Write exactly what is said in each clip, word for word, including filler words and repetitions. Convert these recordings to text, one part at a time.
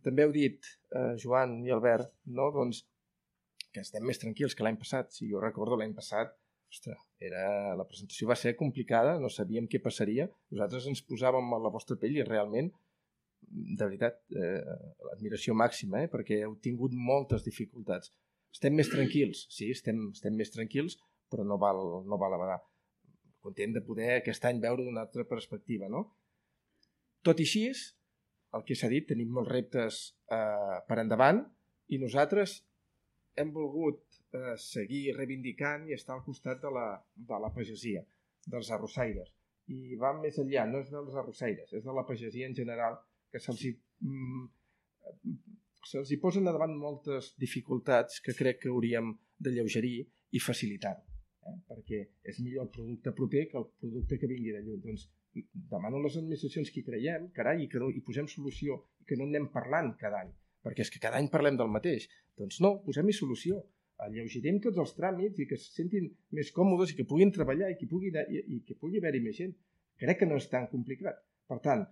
També heu dit, eh, Joan i Albert, no? Doncs, que estem més tranquils que l'any passat. Si jo recordo l'any passat, ostres, era, la presentació va ser complicada, no sabíem què passaria. Nosaltres ens posàvem a la vostra pell i realment, de veritat, eh, l'admiració màxima, eh, perquè heu tingut moltes dificultats. Estem més tranquils, sí, estem, estem més tranquils, però no val, no val abadar. Content de poder aquest any veure d'una altra perspectiva, no? Tot i així, el que s'ha dit, tenim molts reptes eh, per endavant i nosaltres hem volgut eh, seguir reivindicant i estar al costat de la, de la pagesia, dels arrossaires. I va més enllà, no és dels arrossaires, és de la pagesia en general, que se'ls hi, mm, se'ls hi posen davant moltes dificultats que crec que hauríem de lleugerir i facilitar-ho. Eh? Perquè és millor el producte proper que el producte que vingui de lluny. Doncs demano a les administracions que hi creiem, carai, i que no, hi posem solució, i que no anem parlant cada any, perquè és que cada any parlem del mateix. Doncs no, posem-hi solució. Alleugerem tots els tràmits i que se sentin més còmodes i que puguin treballar i que pugui, i, i que pugui haver-hi més gent. Crec que no és tan complicat. Per tant,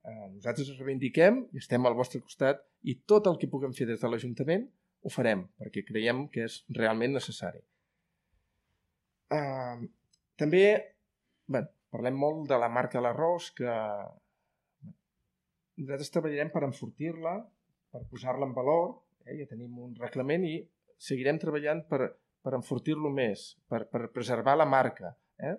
eh, nosaltres ens reivindiquem i estem al vostre costat i tot el que puguem fer des de l'Ajuntament ho farem, perquè creiem que és realment necessari. Uh, també bé, parlem molt de la marca de l'arròs, que nosaltres treballarem per enfortir-la, per posar-la en valor, eh? Ja tenim un reglament i seguirem treballant per, per enfortir-lo més, per, per preservar la marca, eh?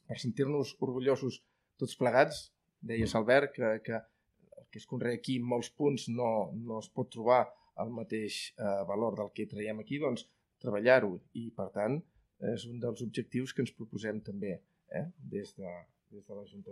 Per sentir-nos orgullosos tots plegats. Deies, Albert, que, que el que es conrea aquí en molts punts no, no es pot trobar el mateix eh, valor del que traiem aquí, doncs treballar-ho i, per tant, és un dels objectius que ens proposem també, eh? des de, des de l'Ajuntament.